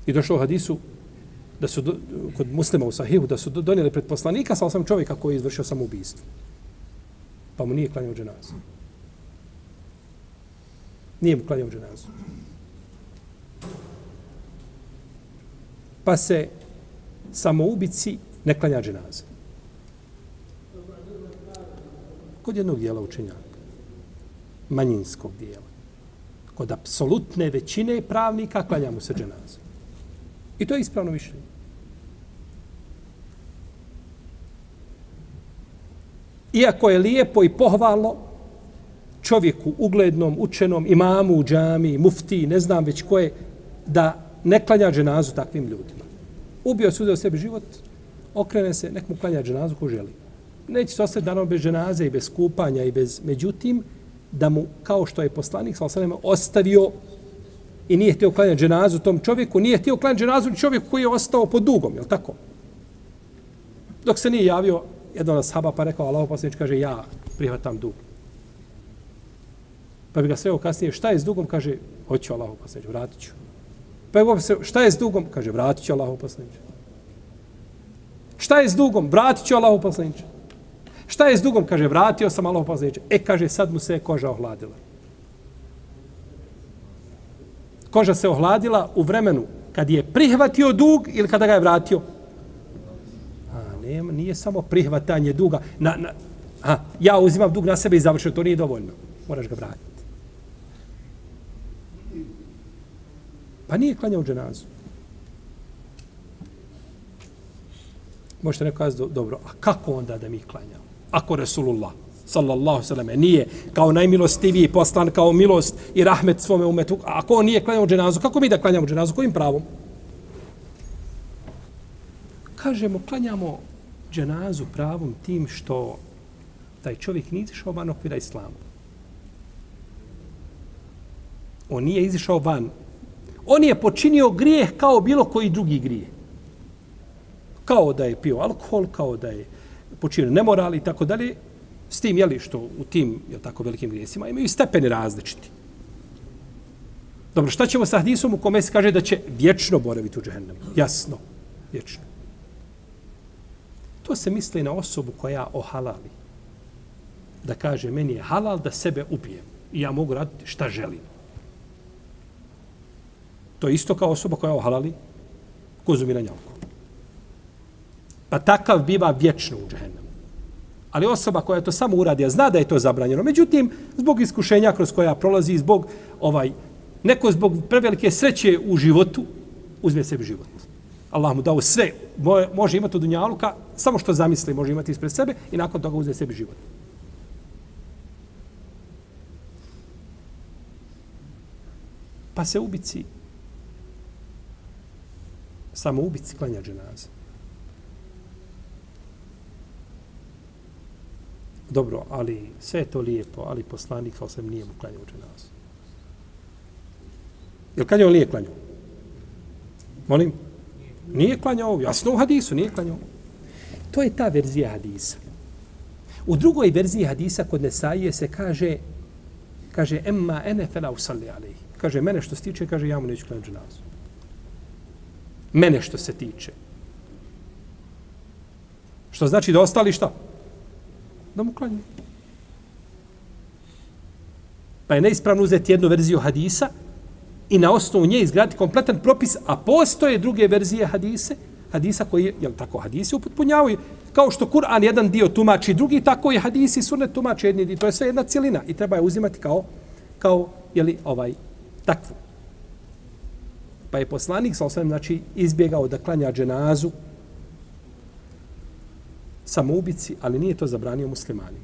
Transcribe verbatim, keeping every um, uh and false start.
I došlo u hadisu da su do, kod muslima u sahihu da su donijeli pred poslanika sa osam čovjeka koji je izvršio samoubistvo. Pa mu nije klanjao dženazu. Nije mu klanjao dženazu. Pa se samoubici ne klanja dženaza. Kod jednog dijela učenjaka. Manjinskog dijela. Kod apsolutne većine pravnika klanja mu se dženaza. I to je ispravno mišljenje. Iako je lijepo i pohvalno čovjeku uglednom, učenom, imamu u džami, mufti, ne znam već ko je, da ne klanja dženazu takvim ljudima. Ubio se, uzeo sebi život, okrene se, nek mu klanja dženazu ko želi. Neće se ostati danom bez dženaze i bez kupanja i bez... Međutim, da mu, kao što je poslanik sallallahu alejhi ve sellem ostavio i nije htio klanjati dženazu tom čovjeku, nije htio klanjati dženazu čovjeku koji je ostao pod dugom, je li tako? Dok se nije javio jedan od ashaba pa rekao, Allahov poslanik kaže, ja prihvatam dug. Pa bi ga sreo kasnije, šta je s dugom? Kaže, hoću Allahov poslanik, vratit ću. Pa je se, šta je s dugom? Kaže, vratit ću Allahov poslanik. Šta je s dugom? Vratit ću Allahov poslanik. Šta je s dugom? Kaže, vratio sam Allahov poslanik. E, kaže, sad mu se koža ohladila. Koža se ohladila u vremenu kad je prihvatio dug ili kada ga je vratio? A, nema, nije samo prihvatanje duga. Na, na, a, ja uzimam dug na sebe i završio, to nije dovoljno. Moraš ga vratiti. Pa nije klanjao dženazu. Možete neko kazati, dobro, a kako onda da mi klanjamo? Ako Resulullah, sallallahu sallam, nije kao najmilostiviji poslan, kao milost i rahmet svome umetu, a ako on nije klanjao dženazu, kako mi da klanjamo dženazu? Kojim pravom? Kažemo, klanjamo dženazu pravom tim što taj čovjek nije izišao van okvira islama. On nije izišao van. On je počinio grijeh kao bilo koji drugi grijeh. Kao da je pio alkohol, kao da je počinio nemoral i tako dalje. S tim, jeli, što u tim, jel tako, velikim grijesima imaju stepeni različiti. Dobro, šta ćemo sa hadisom u kome se kaže da će vječno boraviti u džehennemu? Jasno, vječno. To se misli na osobu koja ohalali. Da kaže, meni je halal da sebe ubijem. I ja mogu raditi šta želim. To je isto kao osoba koja ohalali konzumiranje alkohola. Pa takav biva vječno u džehennemu. Ali osoba koja to samo uradi, a zna da je to zabranjeno, međutim, zbog iskušenja kroz koja prolazi, zbog ovaj, neko zbog prevelike sreće u životu, uzme sebi život. Allah mu dao sve, može imati od dunjaluka, samo što zamisli može imati ispred sebe i nakon toga uzme sebi život. Pa se ubici, samo ubici klanja dženaza. Dobro, ali sve je to lijepo, ali poslanik sa osam nije mu klanjao dženazu. Je li klanjao ili nije klanjao? Molim? Nije klanjao, jasno u hadisu, nije klanjao. To je ta verzija hadisa. U drugoj verziji hadisa kod Nesaije se kaže, kaže, emma ene fela usalli alejhi. Kaže, mene što se tiče, kaže, ja mu neću klanjati dženazu. Mene što se tiče. Što znači da ostali šta? Da mu klanju. Pa je neispravno uzeti jednu verziju hadisa i na osnovu nje izgraditi kompletan propis, a postoje druge verzije hadise, hadisa koji, jel tako, hadisi upotpunjavaju, kao što Kur'an jedan dio tumači drugi, tako i hadisi sunnet tumači jedni dio. To je sve jedna cijelina i treba je uzimati kao, kao jeli, ovaj, takvu. Pa je poslanik, sa osam, znači, izbjegao da klanja dženazu samoubici, ali nije to zabranio muslimani.